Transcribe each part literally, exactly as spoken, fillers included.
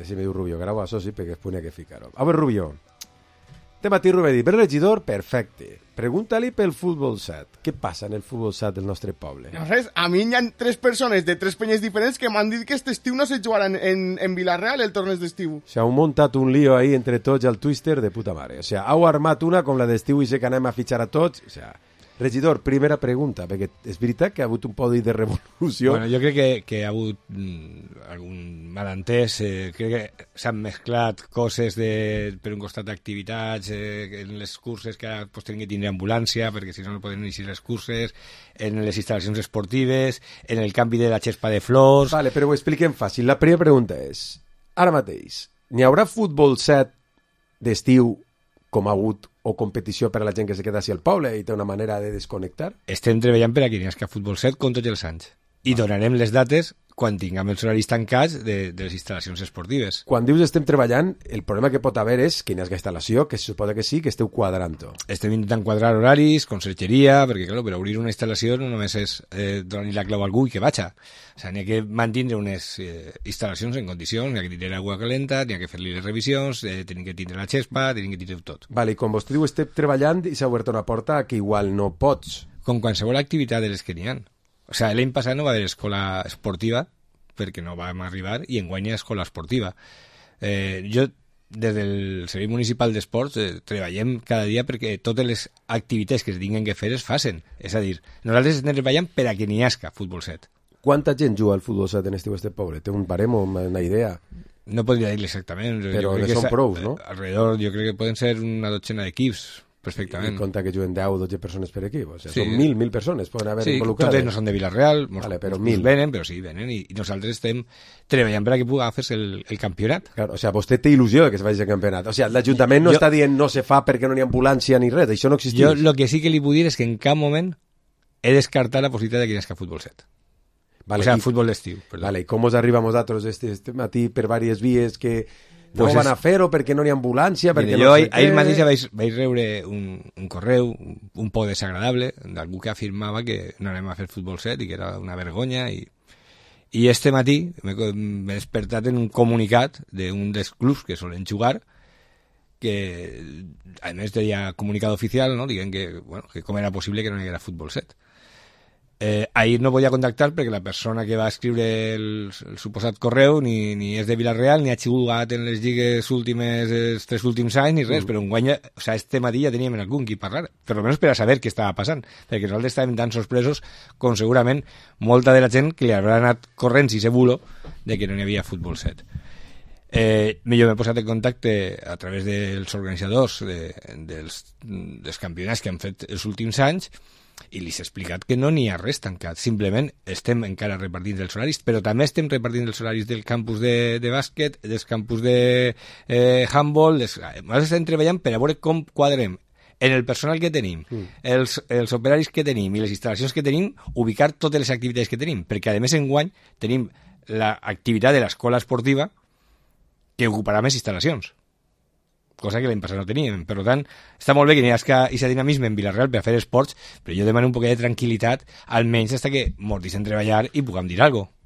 Així me diu Rubio, grau a soci perquè després n'hi ha que ficar-ho. A veure, Rubio, te matí Rubén dit, per regidor, perfecte. Pregunta-li pel futbol set. Què passa en el futbol set del nostre poble? No res, a mi hi ha tres persones de tres penyes diferents que m'han dit que aquest estiu no se jugarà en, en, en Vilareal el torneig d'estiu. O sigui, heu muntat un lío ahí entre tots al Twister de puta mare. O sigui, heu armat una com la d'estiu i sé que anem a fitxar a tots. O sigui, regidor, primera pregunta, perquè és veritat que ha hagut un podi de revolució. Bueno, jo crec que, que ha hagut mm, algun malentès, eh, crec que s'han mesclat coses de, per un costat d'activitats, eh, en les curses que ara pues, tenen que tindre ambulància, perquè si no no poden iniciar les curses, en les instal·lacions esportives, en el canvi de la xespa de flors... Vale, però ho expliquem fàcil. La primera pregunta és, ara mateix, n'hi haurà futbol set d'estiu com ha hagut o competició per a la gent que se queda així al poble i té una manera de desconnectar? Estem treballant per a que n'hi hagi futbol set com tots els anys. I donarem les dates quan tinguem els horaris tancats de, de les instal·lacions esportives. Quan dius estem treballant, el problema que pot haver és que n'hi hagi instal·lació, que se suposa que sí, que esteu quadrant-ho. Estem intentant quadrar horaris, consergeria, perquè clar, per obrir una instal·lació no només és eh, donar-li la clau a algú i que vaja. O sigui, n'hi ha que mantenir unes eh, instal·lacions en condicions, n'hi ha que tindre aigua calenta, n'hi ha que fer-li les revisions, eh, tenim que tindre la xespa, tenim que tindre tot. Vale, i quan vostè diu estem treballant i s'ha obert una porta que igual no pots. Com qualsevol activitat de les que n'hi ha. O sigui, l'any passat no va haver escola esportiva, perquè no vam arribar, i enguany hi ha escola esportiva. Eh, jo, des del Servei Municipal d'Esports, eh, treballem cada dia perquè totes les activitats que es tinguin que fer es facin. És a dir, nosaltres estem treballant per a que n'hi hagi futbol set. Quanta gent juga al futbol set en estiu este poble? Té un barem o una idea? No podria dir-li exactament. Però ne són prou, no? Alrededor, jo crec que poden ser una dotzena d'equips, perfectament. I compta que juguen deu o dotze persones per equip. O sigui, sí. Són mil, mil persones poden haver sí, involucrades. Sí, totes no són de Vilareal, vale, però mil venen, però sí, venen, i, i nosaltres estem treballant per a que pugui fer-se el, el campionat. Claro, o sigui, vostè té il·lusió de que es faci el campionat. O sigui, l'Ajuntament no jo, està dient no se fa perquè no n'hi ha ambulància ni res, això no existeix. Jo el que sí que li puc dir és que en cap moment he descartat la possibilitat de que hi hagi futbol set. Vale, o sigui, futbol d'estiu. Vale, i com us arriba a nosaltres este, este matí per diverses vies que no pues van és... a fer-ho perquè no n'hi ha ambulància, perquè Mira, no jo sé ahir què... mateix vaig, vaig rebre un, un correu un poc desagradable d'algú que afirmava que no anem a fer futbol set i que era una vergonya i, i este matí m'he despertat en un comunicat d'un dels clubs que solen jugar que a més deia comunicat oficial, no? Dient que, bueno, que com era possible que no hi haguera futbol set. Eh, ahir no podia contactar perquè la persona que va escriure el, el suposat correu ni, ni és de Vilareal, ni ha jugat en les lligues últimes, els tres últims anys, ni res, mm. però un guany, o sea, este matí ja teníem algun qui parlar, per almenys per a saber què estava passant, perquè nosaltres estàvem tan sorpresos com segurament molta de la gent que li haurà anat corrents i se bulo de que no hi havia futbol set. Eh, jo m'he posat en contacte a través dels organitzadors de, dels, dels campionats que han fet els últims anys i li s'ha explicat que no n'hi ha res tancat, simplement estem encara repartint els horaris, però també estem repartint els horaris del campus de, de bàsquet, dels campus de eh, handball, des... nosaltres estem treballant per a veure com quadrem en el personal que tenim, mm. els, els operaris que tenim i les instal·lacions que tenim, ubicar totes les activitats que tenim, perquè a més enguany tenim l'activitat de l'escola esportiva que ocuparà més instal·lacions, cosa que l'any passat no teníem. Per tant, està molt bé que n'hi hagi aquest dinamisme en Vilareal per a fer esports, però jo demano un poquet de tranquil·litat, almenys fins que mos deixen treballar i puguem dir alguna cosa.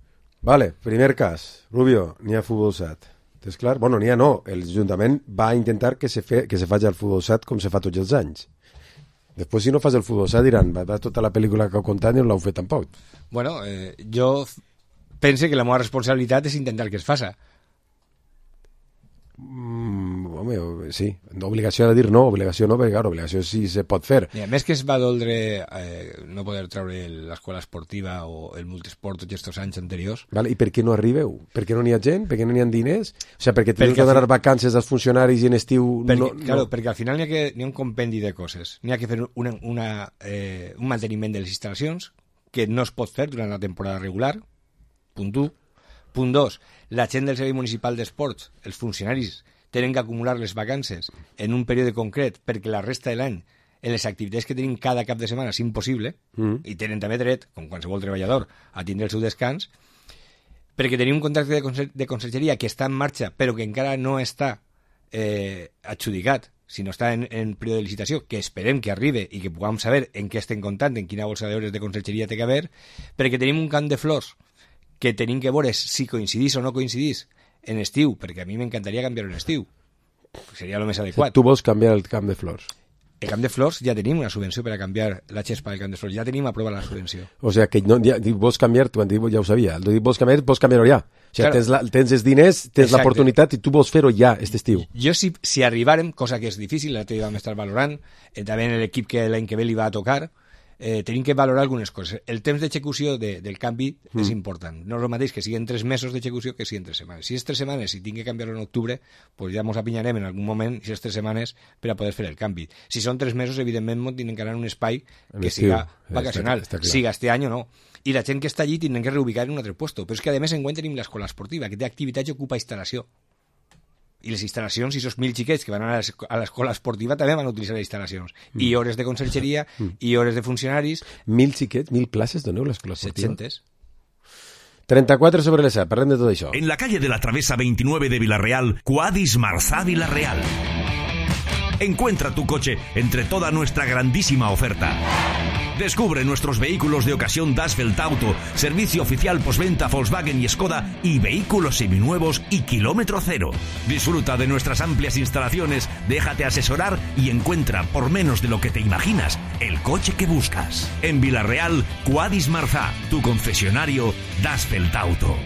Vale, primer cas. Rubio, n'hi ha futbol set. És clar? Bueno, n'hi ha no. L'Ajuntament va intentar que se, fe, que se faci el futbol set com se fa tots els anys. Després, si no fas el futbol set, diran, va, va tota la pel·lícula que heu contat i no l'heu fet tampoc. Bueno, eh, jo pense que la meva responsabilitat és intentar que es faça. Mm, home, sí, obligació de dir no, obligació no, perquè clar, obligació sí se pot fer. I a més que es va doldre eh, no poder treure l'escola esportiva o el multisport tots aquests anys anteriors. Vale, i per què no arribeu? Per què no n'hi ha gent? Per què no n'hi ha diners? O sigui, perquè teniu que donar fi... vacances als funcionaris i en estiu... Perquè, no, claro, no. perquè al final n'hi ha, que, n'hi ha un compendi de coses. N'hi ha que fer una, una, eh, un manteniment de les instal·lacions que no es pot fer durant la temporada regular, punt u. Punt dos, la gent del Servei Municipal d'Esports, els funcionaris, tenen que acumular les vacances en un període concret perquè la resta de l'any, en les activitats que tenim cada cap de setmana, és impossible, mm. i tenen també dret, com qualsevol treballador, a tindre el seu descans, perquè tenim un contracte de, conser de consergeria que està en marxa, però que encara no està eh, adjudicat, sinó està en, en període de licitació, que esperem que arribi i que puguem saber en què estem comptant, en quina bolsa d'hores de consergeria té que haver, perquè tenim un camp de flors que tenim que veure si coincidís o no coincidís en estiu, perquè a mi m'encantaria canviar-ho en estiu. Seria el més adequat. Tu vols canviar el camp de flors. El camp de flors ja tenim una subvenció per a canviar la xespa del camp de flors, ja tenim aprovada la subvenció. O sea, que no, ja, vols canviar, tu ja ho sabia, el vols canviar, vols canviar-ho ja. O sigui, claro. tens, la, tens els diners, tens l'oportunitat i tu vols fer-ho ja, aquest estiu. Jo, si, si arribarem, cosa que és difícil, l'altre dia vam estar valorant, eh, també en l'equip que l'any que ve li va a tocar, eh, tenim que valorar algunes coses. El temps d'execució de, del canvi mm. és important. No és el mateix que siguin tres mesos d'execució que siguin tres setmanes. Si és tres setmanes i tinc que canviar-ho en octubre, pues ja ens apinyarem en algun moment, si és tres setmanes, per a poder fer el canvi. Si són tres mesos, evidentment, ens tindrem que anar a un espai que siga vacacional. Està, està siga este any o no. I la gent que està allí tindrem que reubicar en un altre puesto. Però és que, a més, enguany tenim l'escola esportiva, que té activitat i ocupa instal·lació. I les instal·lacions, i esos mil xiquets que van a l'escola esportiva també van a utilitzar les instal·lacions. Mm. I hores de consergeria, mm. i hores de funcionaris. Mil xiquets, mil places doneu l'escola esportiva? setcentes. trenta-quatre sobre les set, parlem de tot això. En la calle de la Travesa veintinueve de Villarreal, Quadis Marzá Villarreal. Encuentra tu coche entre toda nuestra grandísima oferta. Descubre nuestros vehículos de ocasión Dasfeld Auto, servicio oficial postventa Volkswagen y Skoda y vehículos seminuevos y kilómetro cero. Disfruta de nuestras amplias instalaciones, déjate asesorar y encuentra por menos de lo que te imaginas el coche que buscas. En Villarreal, Quadis Marzá, tu concesionario Dasfeld Auto.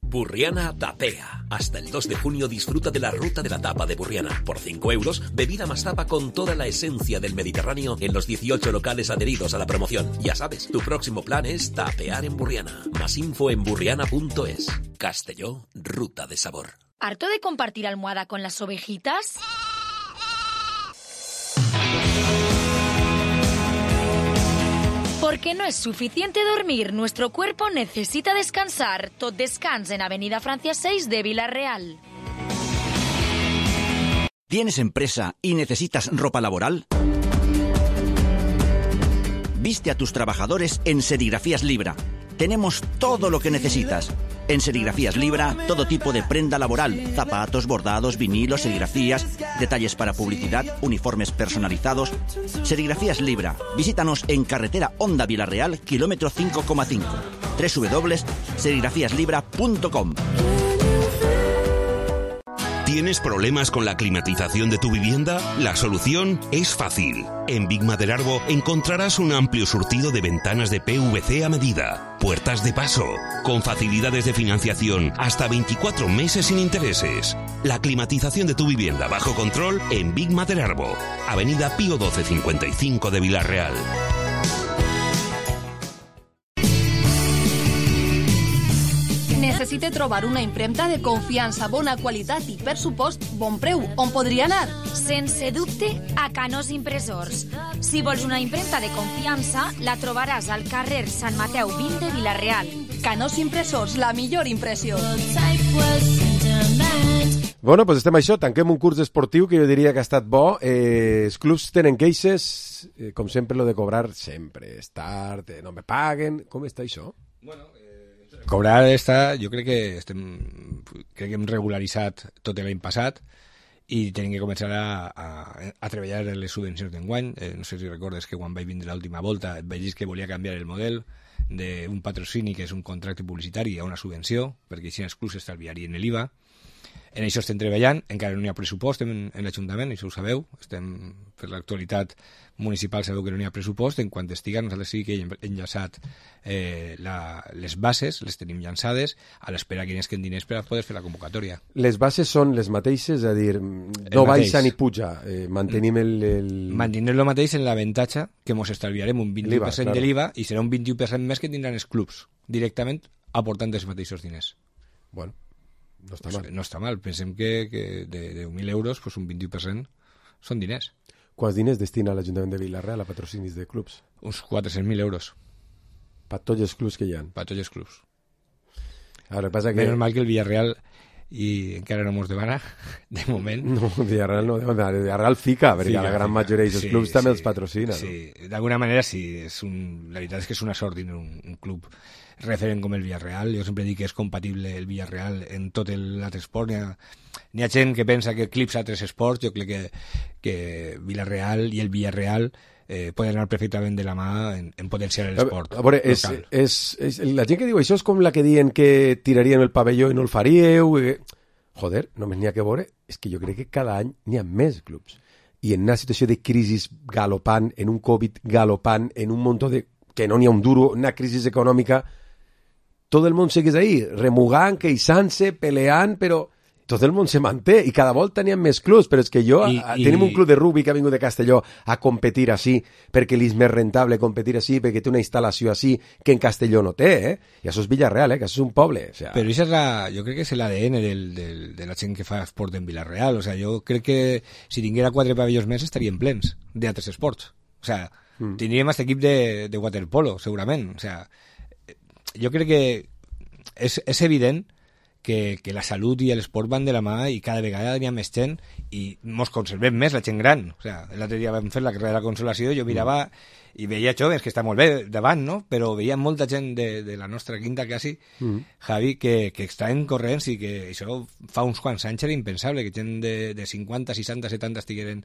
Burriana Tapea. Hasta el dos de junio disfruta de la ruta de la tapa de Burriana. Por cinco euros, bebida más tapa con toda la esencia del Mediterráneo en los dieciocho locales adheridos a la promoción. Ya sabes, tu próximo plan es tapear en Burriana. Más info en burriana punto es. Castelló, ruta de sabor. ¿Harto de compartir almohada con las ovejitas? Porque no es suficiente dormir, nuestro cuerpo necesita descansar. Tot descans en Avenida Francia seis de Villarreal. ¿Tienes empresa y necesitas ropa laboral? Viste a tus trabajadores en Serigrafías Libra. Tenemos todo lo que necesitas. En Serigrafías Libra, todo tipo de prenda laboral, zapatos, bordados, vinilos, serigrafías, detalles para publicidad, uniformes personalizados. Serigrafías Libra. Visítanos en carretera Honda Villarreal, kilómetro cinco coma cinco. doble u doble u doble u punto serigrafías libra punto com. ¿Tienes problemas con la climatización de tu vivienda? La solución es fácil. En Big Maderarbo encontrarás un amplio surtido de ventanas de P V C a medida, puertas de paso, con facilidades de financiación hasta veinticuatro meses sin intereses. La climatización de tu vivienda bajo control en Big Maderarbo, Avenida Pío doce cincuenta y cinco de Villarreal. Necessite trobar una impremta de confiança, bona qualitat i, per supost, bon preu. On podria anar? Sense dubte, a Canós Impressors. Si vols una impremta de confiança, la trobaràs al carrer Sant Mateu vint de Villarreal. Canós Impressors, la millor impressió. Bueno, doncs estem a això, tanquem un curs esportiu que jo diria que ha estat bo. Eh, els clubs tenen queixes, eh, com sempre, lo de cobrar sempre és tard, eh, no me paguen. Com està això? Bueno, eh, cobrar està, jo crec que estem, crec que hem regularitzat tot l'any passat i tenim que començar a, a, a treballar en les subvencions d'enguany. Eh, no sé si recordes que quan vaig vindre l'última volta et vaig dir que volia canviar el model d'un patrocini que és un contracte publicitari a una subvenció, perquè així els clubs estalviarien l'I V A. En això estem treballant, encara no hi ha pressupost en, en l'Ajuntament, això ho sabeu, estem per l'actualitat municipal, sabeu que no hi ha pressupost, en quant estiga nosaltres sí que hem enllaçat eh, la, les bases, les tenim llançades, a l'espera que n'esquen diners per a poder fer la convocatòria. Les bases són les mateixes, és a dir, no baixa ni puja, eh, mantenim el... el... Mantenim el mateix en l'avantatge que ens estalviarem un vint-i-u per cent de l'I V A i serà un vint-i-u per cent més que tindran els clubs, directament aportant els mateixos diners. Bueno, no està pues mal. No està mal. Pensem que, que de deu mil euros pues un vint-i-u per cent són diners. Quants diners destina l'Ajuntament de Villarreal a patrocinis de clubs? Uns quatre-cents mil euros. Per tots els clubs que hi ha? Per tots els clubs. Ara, passa que... Menys mal que el Villarreal i encara no mos demana, de moment. No, Villarreal no demana. Villarreal fica, perquè fica, la gran fica. majoria dels sí, clubs sí, també els patrocina. Sí, no? D'alguna manera sí. És un... La veritat és que és una sort tenir un, un club referent com el Villarreal. Jo sempre dic que és compatible el Villarreal en tot l'altre esport. N'hi ha, n'hi ha gent que pensa que eclipsa altres esports. Jo crec que, que Villarreal i el Villarreal eh, poden anar perfectament de la mà en, en potenciar l'esport a, a veure, és, és, és, la gent que diu això és com la que diuen que tiraríem el pavelló i no el faríeu. Eh... Joder, només n'hi ha que veure, és que jo crec que cada any n'hi ha més clubs. I en una situació de crisi galopant, en un Covid galopant, en un munt de... que no n'hi ha un duro, una crisi econòmica, tot el món segueix ahí, remugant, queixant-se, peleant, però tot el món se manté i cada volta n'hi ha més clubs, però és que jo, I, a, i... tenim un club de rugby que ha vingut de Castelló a competir així, perquè li és més rentable competir així, perquè té una instal·lació així que en Castelló no té, eh? I això és Villarreal, eh? Que això és un poble. O sea... Però això és la, jo crec que és l'A D N del, del, de la gent que fa esport en Villarreal. O sea, jo crec que si tinguera quatre pavellons més estarien plens d'altres esports. O sea, mm. tindríem aquest equip de, de waterpolo, segurament. O sea, jo crec que és, és evident que, que la salut i l'esport van de la mà i cada vegada hi ha més gent i mos conservem més la gent gran. O sea, l'altre dia vam fer la carrera de la consolació i jo mirava i veia joves, que està molt bé davant, no? Però veia molta gent de, de la nostra quinta quasi, mm. Javi, que, que estaven corrents i que això fa uns quants anys era impensable, que gent de, de cinquanta, seixanta, setanta estigueren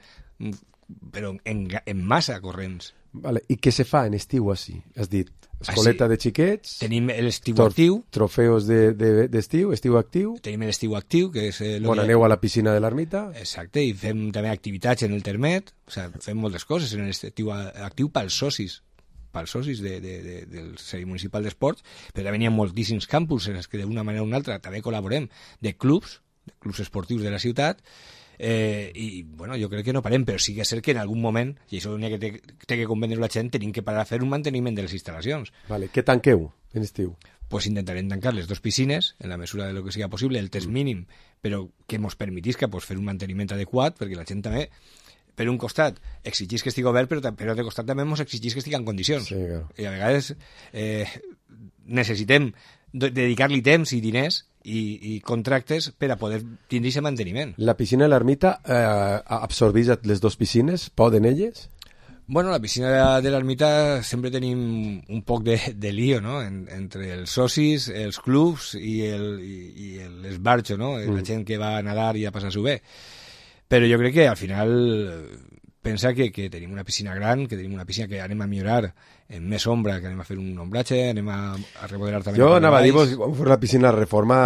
però en, en massa corrents. Vale. I què se fa en estiu així? Has dit, escoleta ah, sí. de xiquets... Tenim l'estiu actiu. Trofeus d'estiu, de, de, estiu actiu. Tenim l'estiu actiu, que és... Eh, Bon, aneu a la piscina de l'ermita. Exacte, i fem també activitats en el termet, o sigui, fem moltes coses en l'estiu actiu pels socis, pels socis de, de, de, del Servei Municipal d'Esports, però també hi ha moltíssims campus en els que d'una manera o una altra també col·laborem, de clubs, de clubs esportius de la ciutat. Eh, i bueno, jo crec que no parem, però sí que és cert que en algun moment, i això que té, té que convendre la gent, tenim que parar a fer un manteniment de les instal·lacions. Vale. Què tanqueu en estiu? Pues intentarem tancar les dues piscines en la mesura de lo que siga possible, el test mínim, però que ens permetisca pues, fer un manteniment adequat, perquè la gent també, per un costat, exigís que estigui obert, però per l'altre costat també ens exigís que estigui en condicions. Sí, claro. I a vegades eh, necessitem dedicar-li temps i diners i, i contractes per a poder tindre aquest manteniment. La piscina de l'ermita eh, absorbeix les dues piscines? Poden elles? Bueno, la piscina de l'ermita sempre tenim un poc de, de lío, no? En, entre els socis, els clubs i l'esbarxo, no? Mm. La gent que va a nadar i a passar-s'ho bé. Però jo crec que al final pensa que, que tenim una piscina gran, que tenim una piscina que anem a millorar en més ombra, que anem a fer un ombratge, anem a, a remodelar també... Jo anava a dir-vos, quan fos la piscina de reforma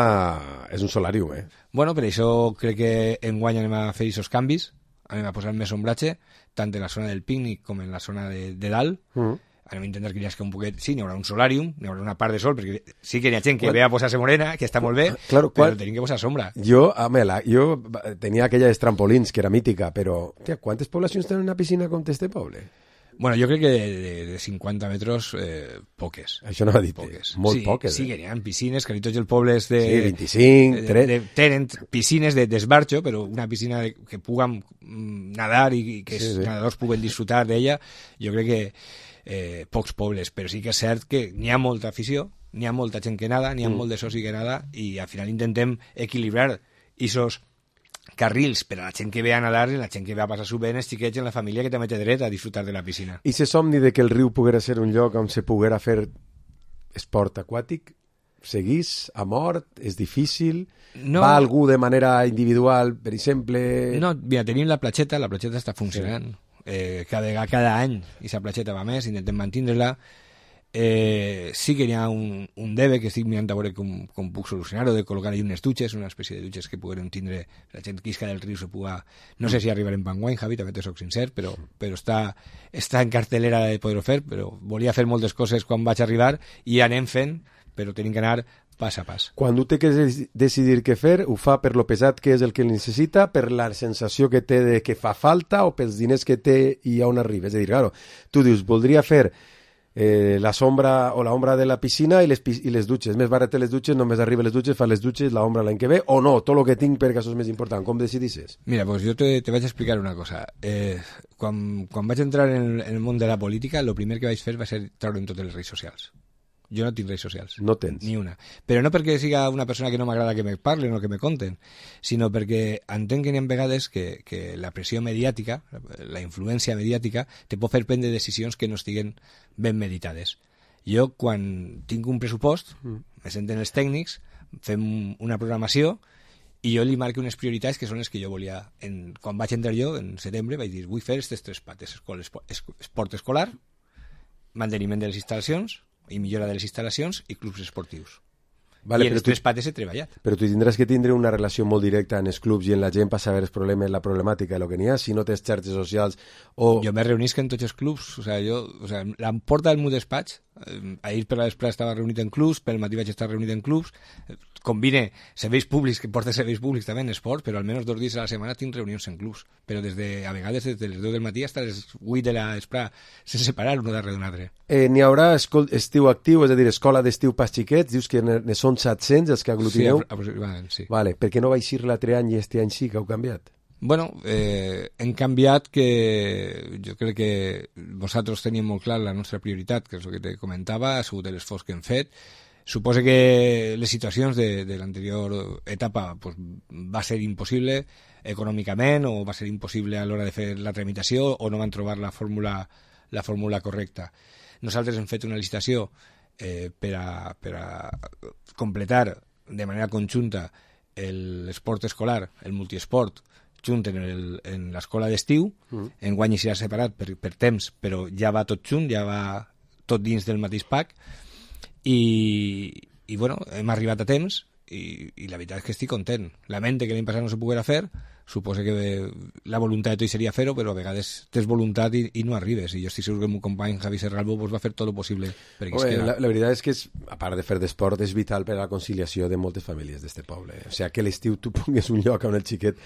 és un solarium, eh? Bueno, per això crec que enguany anem a fer aquests canvis, anem a posar més ombratge, tant en la zona del pícnic com en la zona de, de dalt. Mm. Anem a intentar que hi hagi un poquet... Sí, n'hi haurà un solarium, n'hi haurà una part de sol, perquè sí que hi ha gent que bueno, ve a posar-se morena, que està molt bé, claro, però quan... tenim que posar sombra. Jo, Amela, jo tenia aquella de trampolins, que era mítica, però... Tia, quantes poblacions tenen una piscina com este poble? Bueno, jo crec que de, de cinquanta metres, eh, poques. Això no va dir, poques. Molt sí, poques. Sí, eh? Que hi ha piscines, que tots els pobles de... Sí, vint-i-cinc, trenta... De, de, tenen piscines d'esbarxo, però una piscina de, que puguem nadar i que sí, els sí. nadadors puguen disfrutar d'ella, jo crec que eh, pocs pobles, però sí que és cert que n'hi ha molta afició, n'hi ha molta gent que nada, n'hi ha mm. molt de soci que nada, i al final intentem equilibrar aquests carrils per a la gent que ve a nadar i la gent que ve a passar-s'ho bé en els xiquets i en la família que també té dret a disfrutar de la piscina. I se somni de que el riu poguera ser un lloc on se poguera fer esport aquàtic? Seguís a mort? És difícil? No. Va algú de manera individual, per exemple? No, mira, tenim la platxeta, la platxeta està funcionant. Sí. Eh, cada, cada any aquesta platxeta va més, intentem mantindre-la. Eh, sí que hi ha un, un debe que estic mirant a veure com, com puc solucionar-ho, de col·locar allà unes dutxes, una espècie de dutxes que puguem tindre la gent quisca del riu se puga... No sé si arribarem en guany, Javi, també te soc sincer, però, però està, està en cartelera de poder-ho fer, però volia fer moltes coses quan vaig arribar i anem fent, però tenim que anar pas a pas. Quan tu té que decidir què fer, ho fa per lo pesat que és el que necessita, per la sensació que té de que fa falta o pels diners que té i on arriba. És a dir, claro, tu dius, voldria fer Eh, la sombra o la ombra de la piscina i les, i les dutxes, més barates les dutxes, només arriba les dutxes, fa les dutxes, la ombra l'any que ve, o no, tot el que tinc perquè això és més important. Com decidisses? Mira, pues jo te, te vaig explicar una cosa. Eh, quan, quan vaig entrar en, en el món de la política, el primer que vaig fer va ser treure'm totes les redes socials. Jo no tinc redes socials. No tens. Ni una. Però no perquè siga una persona que no m'agrada que me parlen o que me conten, sinó perquè entenc que n'hi ha vegades que, que la pressió mediàtica, la influència mediàtica, te pot fer prendre decisions que no estiguen ben meditades. Jo, quan tinc un pressupost, mm. me senten els tècnics, fem una programació i jo li marco unes prioritats que són les que jo volia. En, quan vaig entrar jo, en setembre, vaig dir, vull fer aquestes tres pates: escola, esport escolar, manteniment de les instal·lacions i millora de les instal·lacions i clubs esportius. Vale, I en les tres pates he treballat. Però tu tindràs que tindre una relació molt directa en els clubs i en la gent per saber els problemes, la problemàtica, el que n'hi ha, si no tens xarxes socials o... Jo me reunisc en tots els clubs, o sea, jo, o sea, la porta del meu despatx, eh, ahir per la vesprada estava reunit en clubs, pel matí vaig estar reunit en clubs, eh, combine serveis públics, que porta serveis públics també en esport, però almenys dos dies a la setmana tinc reunions en clubs, però des de, a vegades des de les deu del matí fins a les vuit de la vesprada, sense parar un darrere d'un altre. Eh, n'hi haurà escol estiu actiu, és a dir, escola d'estiu pas xiquets, dius que ne, ne són set-cents els que aglutineu? Sí, aproximadament, sí. Vale, per què no va eixir l'altre any i este any sí que heu canviat? Bueno, eh, hem canviat que jo crec que vosaltres teníem molt clar la nostra prioritat, que és el que te comentava, ha sigut l'esforç que hem fet. Suposo que les situacions de, de l'anterior etapa pues, va ser impossible econòmicament o va ser impossible a l'hora de fer la tramitació o no van trobar la fórmula, la fórmula correcta. Nosaltres hem fet una licitació eh, per, a, per a completar de manera conjunta l'esport escolar, el multiesport, junt en l'escola d'estiu, mm. enguany serà separat per, per temps, però ja va tot junt, ja va tot dins del mateix pack, i, i bueno, hem arribat a temps, i, i la veritat és que estic content. Lamente que l'any passat no se poguera fer, suposo que la voluntat de tot seria fer-ho, però a vegades tens voluntat i, i no arribes, i jo estic segur que el meu company Javi Serralbo pues, va fer tot el possible perquè Oye, es queda. La, la veritat és que, és, a part de fer d'esport, és vital per a la conciliació de moltes famílies d'este poble. O sigui, que l'estiu tu pongues un lloc on el xiquet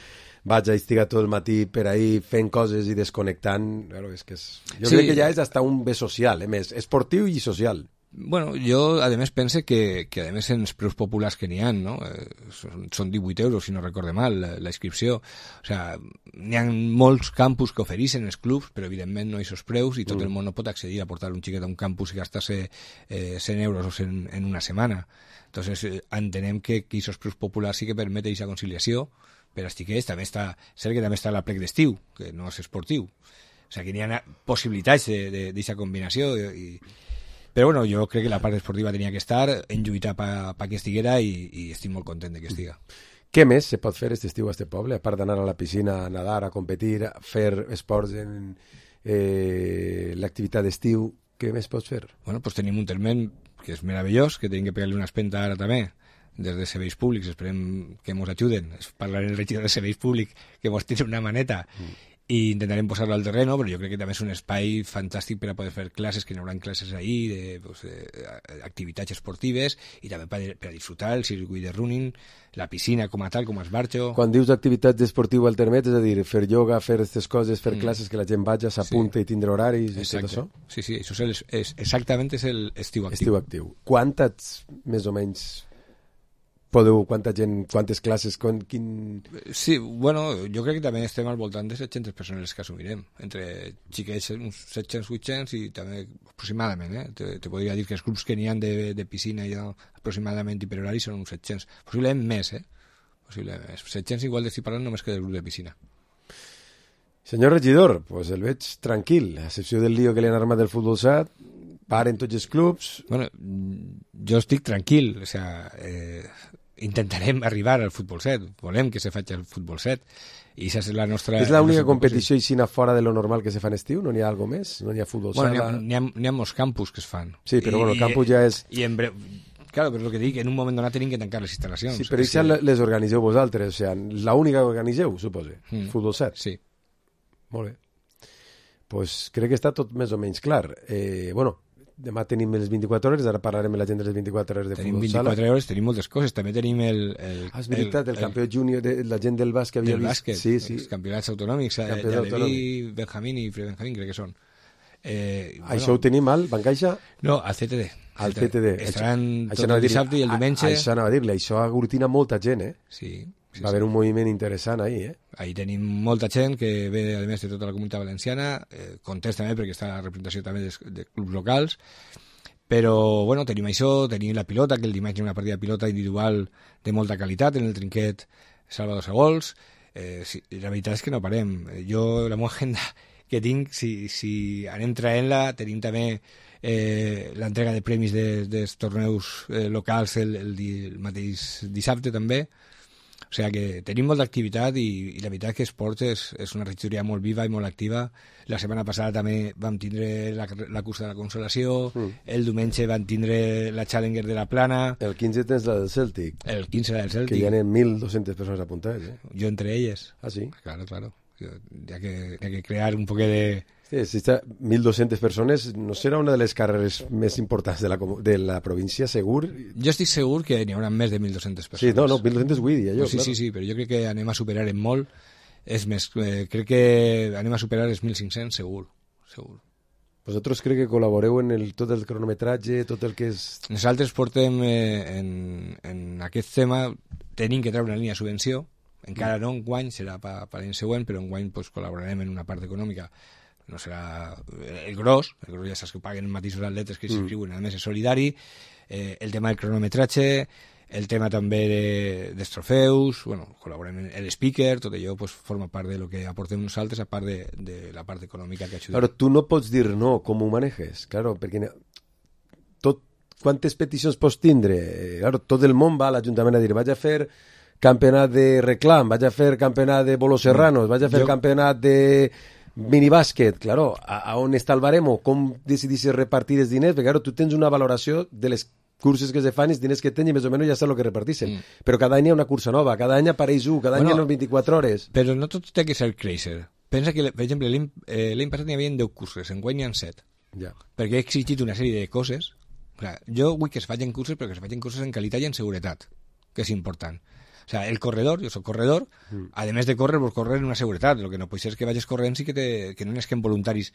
vaig a estigar tot el matí per ahí fent coses i desconnectant. Bueno, és que és... Jo sí. crec que ja és hasta un bé social, eh? Més esportiu i social. Bueno, jo, a més, pense que, que a més, en els preus populars que n'hi ha, no? Eh, són, són divuit euros, si no recorde mal, la, la inscripció. O sea, n'hi ha molts campus que ofereixen els clubs, però evidentment no hi ha preus i tot mm. el món no pot accedir a portar un xiquet a un campus i gastar-se eh, cent euros o cent en una setmana. Entonces, eh, entenem que aquests preus populars sí que permeten aquesta conciliació per als xiquets. També està, cert que també està la plec d'estiu, que no és esportiu. O sigui, que n'hi ha possibilitats d'aquesta combinació i, i però bueno, jo crec que la part esportiva tenia que estar, en lluitar per pa que estiguera i, i estic molt content de que estiga. Què més se pot fer aquest estiu a este poble? A part d'anar a la piscina, a nadar, a competir, a fer esports en eh, l'activitat d'estiu, què més pots fer? Bueno, pues tenim un termen que és meravellós, que tenim que pegar-li una espenta ara també, des de serveis públics, esperem que ens ajuden, parlaré el regidor de serveis públics, que ens tiri una maneta, mm. i intentarem posar-lo al terreno, però jo crec que també és un espai fantàstic per a poder fer classes, que n'hi haurà classes ahí, de, pues, de activitats esportives, i també per, per a disfrutar el circuit de running, la piscina com a tal, com a esbarxo. Quan dius activitats esportives al termet, és a dir, fer ioga, fer aquestes coses, fer mm. classes, que la gent vagi, s'apunta sí. i tindre horaris i tot això? Sí, sí, això és, el, és exactament és el estiu actiu. Estiu actiu. Quantes, més o menys, podeu, quanta gent, quantes classes, quan, quin... Sí, bueno, jo crec que també estem al voltant de set-centes persones que assumirem, entre xiquets uns set-cents, vuit-cents i també aproximadament, eh? Te, te podria dir que els grups que n'hi ha de, de piscina ja aproximadament i per horari són uns set-cents, possiblement més, eh? Possiblement més. set-cents igual d'estic parlant només que del grup de piscina. Senyor regidor, pues el veig tranquil, a excepció del lío que li han armat del futbol sat, paren tots els clubs... Bueno, jo estic tranquil, o sea, eh, intentarem arribar al futbol set, volem que se faci el futbol set, i aquesta és la nostra... És l'única competició aixina fora de lo normal que se fa en estiu? No n'hi ha alguna més? No n'hi ha futbol bueno, sala? N'hi ha, n'hi ha molts campus que es fan. Sí, però I, bueno, el campus ja és... I en breu... Claro, però és el que dic, en un moment donat tenim que tancar les instal·lacions. Sí, però això que... les organiseu vosaltres, o sigui, l'única que organiseu, suposo, mm. futbol set. Sí. Molt bé. Pues crec que està tot més o menys clar. Eh, bueno, demà tenim les vint-i-quatre hores, ara parlarem amb la gent de les vint-i-quatre hores de tenim futbol sala. Tenim vint-i-quatre hores, tenim moltes coses. També tenim el... el ah, és veritat, el, el, el campió júnior, de, la gent del bàsquet havia del vist. Bàsquet, sí, sí. Els campionats autonòmics, Aleví, Benjamín i Fred Benjamín, crec que són. Eh, això bueno, ho tenim al Bancaixa? No, al C T D. Al C T D. Estaran tot el dissabte i el diumenge. Això anava a dir-li, això aglutina molta gent, eh? Sí. Sí, va haver un moviment interessant ahí, eh? Ahí tenim molta gent que ve, a més, de tota la comunitat valenciana, eh, context també perquè està la representació també de, de clubs locals, però, bueno, tenim això, tenim la pilota, que el dimarts hi ha una partida de pilota individual de molta qualitat en el trinquet Salvador Segols. Eh, sí, la veritat és que no parem. Jo, la meva agenda que tinc, si, si anem traient-la, tenim també eh, l'entrega de premis de, dels torneus eh, locals el, el, el mateix dissabte també. O sigui que tenim molta activitat i, i la veritat que esports és, és una regidoria molt viva i molt activa. La setmana passada també vam tindre la, la cursa de la Consolació, mm. el diumenge vam tindre la Challenger de la Plana. El quinze tens la del Celtic. El quinze la del Celtic. Que hi ha mil dos-centes persones apuntades. Eh? Jo entre elles. Ah, sí? Claro, claro. Hi ha que, hi ha que crear un poc de... Sí, si està mil dos-centes persones, no serà una de les carreres més importants de la, de la província, segur? Jo estic segur que n'hi haurà més de mil dos-centes persones. Sí, no, no, mil dos-centes vull dir, jo. Pues sí, claro. sí, sí, però jo crec que anem a superar en molt. És més, eh, crec que anem a superar els mil cinc-cents, segur, segur. Vosaltres crec que col·laboreu en el, tot el cronometratge, tot el que és... Nosaltres portem eh, en, en aquest tema, tenim que treure una línia de subvenció, encara no enguany, serà per, per l'any següent, però enguany pues, col·laborarem en una part econòmica. No serà el gros, el gros ja saps que paguen mateixos atletes que s'inscriuen, mm. a més és solidari, eh, el tema del cronometratge, el tema també de, dels trofeus, bueno, col·laborem en l'speaker, tot allò pues, forma part de lo que aportem nosaltres, a part de, de la part econòmica que ajudem. Claro, tu no pots dir no, com ho manejes, claro, perquè tot, quantes peticions pots tindre? Claro, tot el món va a l'Ajuntament a dir, vaig a fer campionat de reclam, vaig a fer campionat de bolos serranos, vaig a fer jo... campionat de minibàsquet, claro, a, a on està el baremo, com decidissis repartir els diners, perquè claro, tu tens una valoració de les curses que se fan i els diners que tens i més o menys ja saps el que repartixen, mm. però cada any hi ha una cursa nova, cada any apareix un, cada bueno, any hi ha vint-i-quatre hores. Però no tot té que ser crazy. Pensa que, per exemple, l'any eh, passat n'hi havia deu curses, enguany n'hi ha set, ja. perquè he exigit una sèrie de coses. Clar, jo vull que es facin curses, però que es facin curses en qualitat i en seguretat, que és important. O sea, el corredor, jo soc corredor, mm. a més de córrer, vols córrer en una seguretat. El que no pot ser és que vagis corrent i que, te, que no n'esquem voluntaris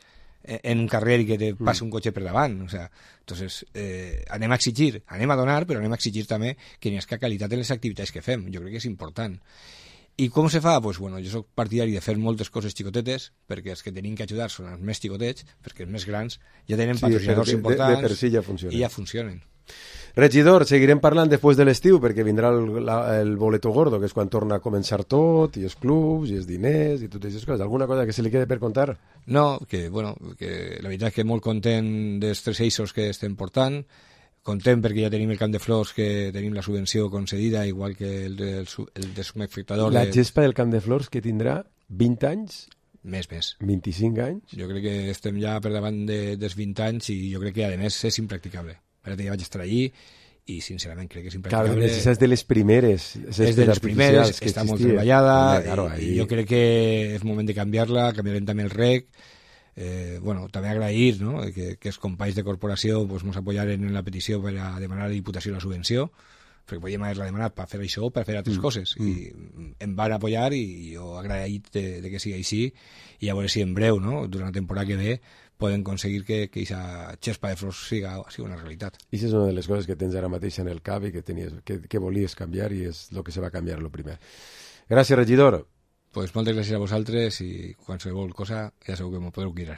en un carrer i que te passi mm. un cotxe per davant. O sea, entonces, eh, anem a exigir, anem a donar, però anem a exigir també que n'hi hagi qualitat en les activitats que fem. Jo crec que és important. I com se fa? Pues, bueno, jo soc partidari de fer moltes coses xicotetes, perquè els que tenim que ajudar són els més xicotets, perquè els més grans ja tenen sí, patrocinadors de, importants de, de per si ja funcionen. I ja funcionen. Regidor, seguirem parlant després de l'estiu perquè vindrà el, la, el boleto gordo, que és quan torna a començar tot, i els clubs, i els diners, i totes aquestes coses. Alguna cosa que se li quede per contar? No, que, bueno, que la veritat és que molt content dels tres eixos que estem portant, content perquè ja tenim el Camp de Flors, que tenim la subvenció concedida, igual que el, el, el de subespectador. La de... gespa del Camp de Flors, que tindrà vint anys? Més, més. vint-i-cinc anys? Jo crec que estem ja per davant de, dels vint anys i jo crec que, a més, és impracticable. Ara ja vaig estar allí i sincerament crec que és impracticable. Claro, és de les primeres. És de les primeres, està molt treballada, claro, i jo crec que és moment de canviar-la, canviarem també el rec. Eh, bueno, també agrair, no?, que, que els companys de corporació pues, ens apoyaren en la petició per a demanar a la Diputació la subvenció, perquè podíem haver-la demanat per fer això o per fer altres mm. coses, mm. i em van apoyar i jo agraït de, de que sigui així, i a veure si en breu, no?, durant la temporada que ve, poden aconseguir que aquesta xespa de flors siga, siga una realitat. I això és una de les coses que tens ara mateix en el cap i que, tenies, que, que volies canviar, i és el que se va canviar el primer. Gràcies, regidor. Pues moltes gràcies a vosaltres i qualsevol cosa ja sabeu que m'ho podeu cuidar.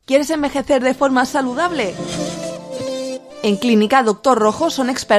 ¿Quieres envejecer de forma saludable? En Clínica Doctor Rojo son expertos